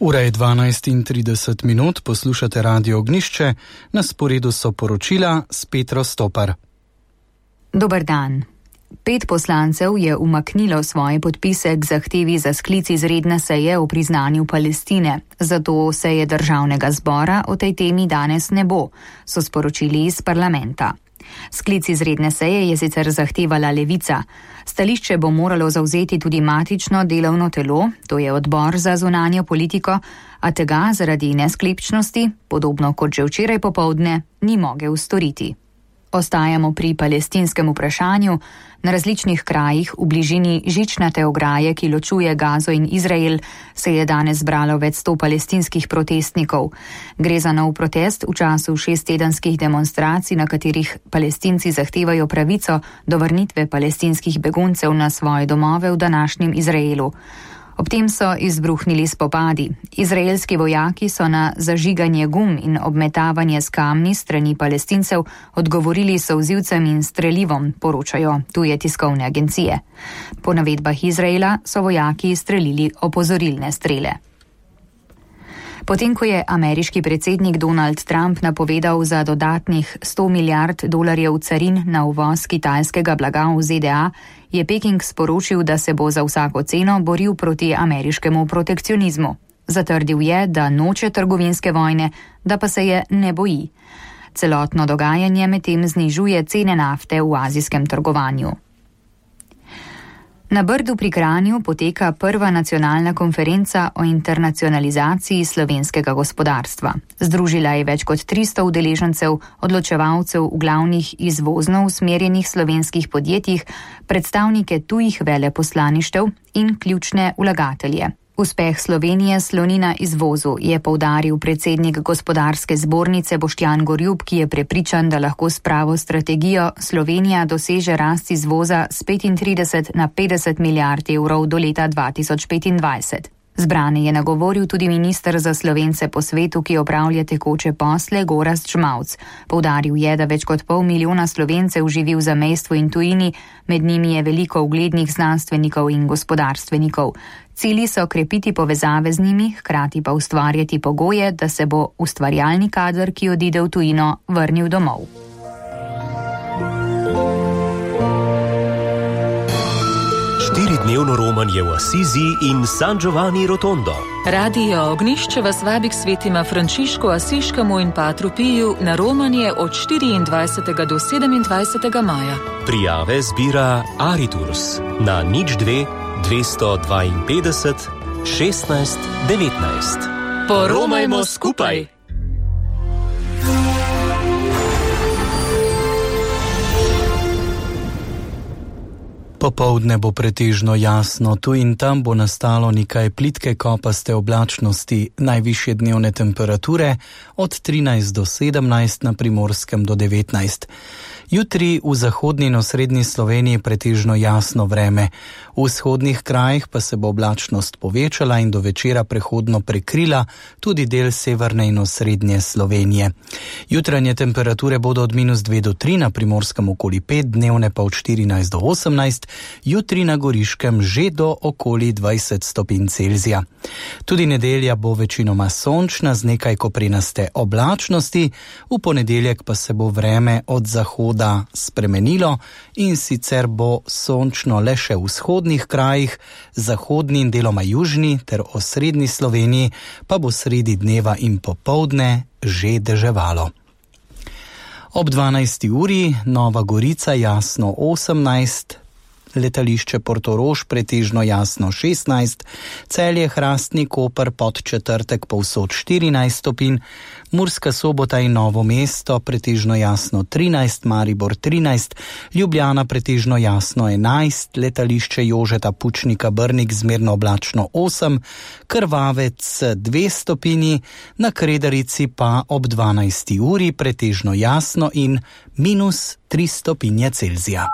Ura je 12:30, poslušate Radio Ognjišče, na sporedu so poročila s Petro Stopar. Dober dan. 5 poslancev je umaknilo svoje podpise k zahtevi za sklic izredne seje o priznanju Palestine, zato seje državnega zbora o tej temi danes ne bo, so sporočili iz parlamenta. Sklic izredne seje je sicer zahtevala Levica. Stališče bo moralo zavzeti tudi matično delovno telo, to je odbor za zunanjo politiko, a tega zaradi nesklepčnosti, podobno kot že včeraj popoldne, ni mogel storiti. Ostajamo pri palestinskem vprašanju. Na različnih krajih v bližini žičnate ograje, ki ločuje Gazo in Izrael, se je danes zbralo več 100 palestinskih protestnikov. Gre za nov protest v času 6-tedenskih demonstracij, na katerih Palestinci zahtevajo pravico do vrnitve palestinskih beguncev na svoje domove v današnjem Izraelu. Ob tem so izbruhnili spopadi. Izraelski vojaki so na zažiganje gum in obmetavanje s kamni strani Palestincev odgovorili solzivcem in strelivom, poročajo tuje tiskovne agencije. Po navedbah Izraela so vojaki strelili opozorilne strele. Potem, ko je ameriški predsednik Donald Trump napovedal za dodatnih $100 milijard carin na uvoz kitajskega blaga v ZDA, je Peking sporočil, da se bo za vsako ceno boril proti ameriškemu protekcionizmu. Zatrdil je, da noče trgovinske vojne, da pa se je ne boji. Celotno dogajanje medtem znižuje cene nafte v azijskem trgovanju. Na Brdu pri Kranju poteka prva nacionalna konferenca o internacionalizaciji slovenskega gospodarstva. Združila je več kot 300 udeležencev, odločevalcev v glavnih izvozno usmerjenih slovenskih podjetjih, predstavnike tujih veleposlaništev in ključne vlagatelje. Uspeh Slovenije sloni na izvozu, je poudaril predsednik gospodarske zbornice Boštjan Gorjup, ki je prepričan, da lahko s pravo strategijo Slovenija doseže rast izvoza s 35 na 50 milijard evrov do leta 2025. Zbrane je nagovoril tudi minister za Slovence po svetu, ki opravlja tekoče posle, Gorazd Žmavc. Poudaril je, da več kot 500 000 Slovencev živi v zamejstvu in tujini, med njimi je veliko uglednih znanstvenikov in gospodarstvenikov. Cilji so krepiti povezave z njimi, hkrati pa ustvarjati pogoje, da se bo ustvarjalni kader, ki odide v tujino, vrnil domov. Dnevno romanje v Asizi in San Giovanni Rotondo. Radio Ognjišče vas vabi k svetima Frančišku Asiškemu in Patru Piju na romanje od 24. do 27. maja. Prijave zbira Ariturs na 02 252 16 19. Poromajmo skupaj! Popoldne bo pretežno jasno, tu in tam bo nastalo nekaj plitke kopaste oblačnosti, najvišje dnevne temperature od 13 do 17, na Primorskem do 19. Jutri v zahodni in osrednji Sloveniji pretežno jasno vreme. V vzhodnih krajih pa se bo oblačnost povečala in do večera prehodno prekrila tudi del severne in osrednje Slovenije. Jutranje temperature bodo od -2 do 3, na Primorskem okoli 5, dnevne pa od 14 do 18, jutri na Goriškem že do okoli 20 stopinj Celzija. Tudi nedelja bo večinoma sončna z nekaj koprenaste oblačnosti, v ponedeljek pa se bo vreme od zahoda spremenilo in sicer bo sončno le še v vzhodnih krajih, zahodni in deloma južni ter osrednji Sloveniji pa bo sredi dneva in popoldne že deževalo. Ob 12. uri Nova Gorica jasno 18, letališče Portorož pretežno jasno 16, Celje, Hrastnik, Koper, Podčetrtek povsod 14 stopinj, Murska Sobota in Novo mesto pretežno jasno 13, Maribor 13, Ljubljana pretežno jasno 11, letališče Jožeta Pučnika Brnik zmerno oblačno 8, Krvavec 2 stopinji, na Kredarici pa ob 12. uri pretežno jasno in -3 stopinje Celzija.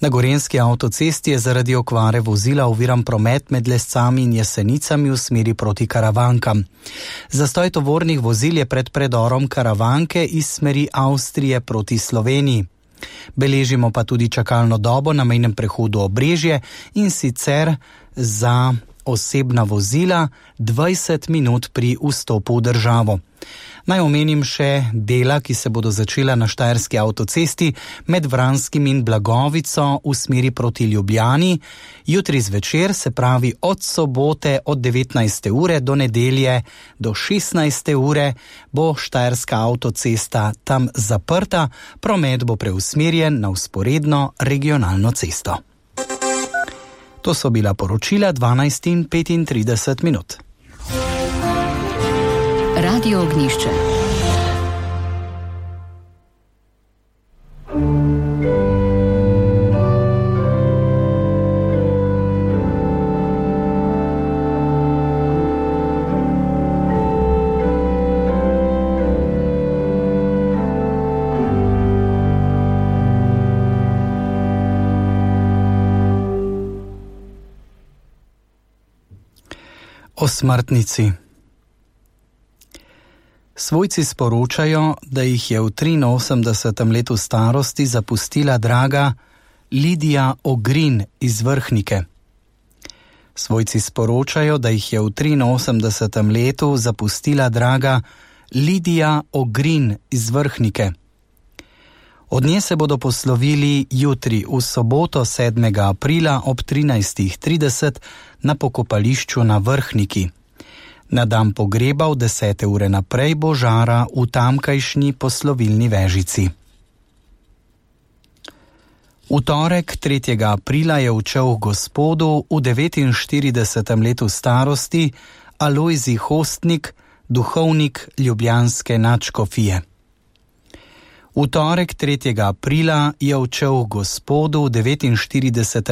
Na Gorenjski avtocesti je zaradi okvare vozila oviran promet med Lescami in Jesenicami v smeri proti Karavankam. Zastoj tovornih vozil je pred predorom Karavanke iz smeri Avstrije proti Sloveniji. Beležimo pa tudi čakalno dobo na mejnem prehodu Obrežje, in sicer za osebna vozila 20 minut pri vstopu v državo. Naj omenim še dela, ki se bodo začela na Štajerski avtocesti med Vranskim in Blagovico v smeri proti Ljubljani. Jutri zvečer, se pravi od sobote od 19. ure do nedelje do 16. ure, bo Štajerska avtocesta tam zaprta, promet bo preusmerjen na vzporedno regionalno cesto. To so bila poročila 12:35 minut. Radio Ognišče. O smrtnici. Svojci sporočajo, da jih je v 83. letu starosti zapustila draga Lidija Ogrin iz Vrhnike. Svojci sporočajo, da jih je v 83. letu zapustila draga Lidija Ogrin iz Vrhnike. Od nje se bodo poslovili jutri v soboto 7. aprila ob 13:30 na pokopališču na Vrhniki. Na dan pogreba od 10. ure naprej bo žara v tamkajšnji poslovilni vežici. V torek 3. aprila je odšel Gospodu v 49. letu starosti Alojzij Hostnik, duhovnik ljubljanske nadškofije. V torek 3. aprila je odšel Gospodu v 49.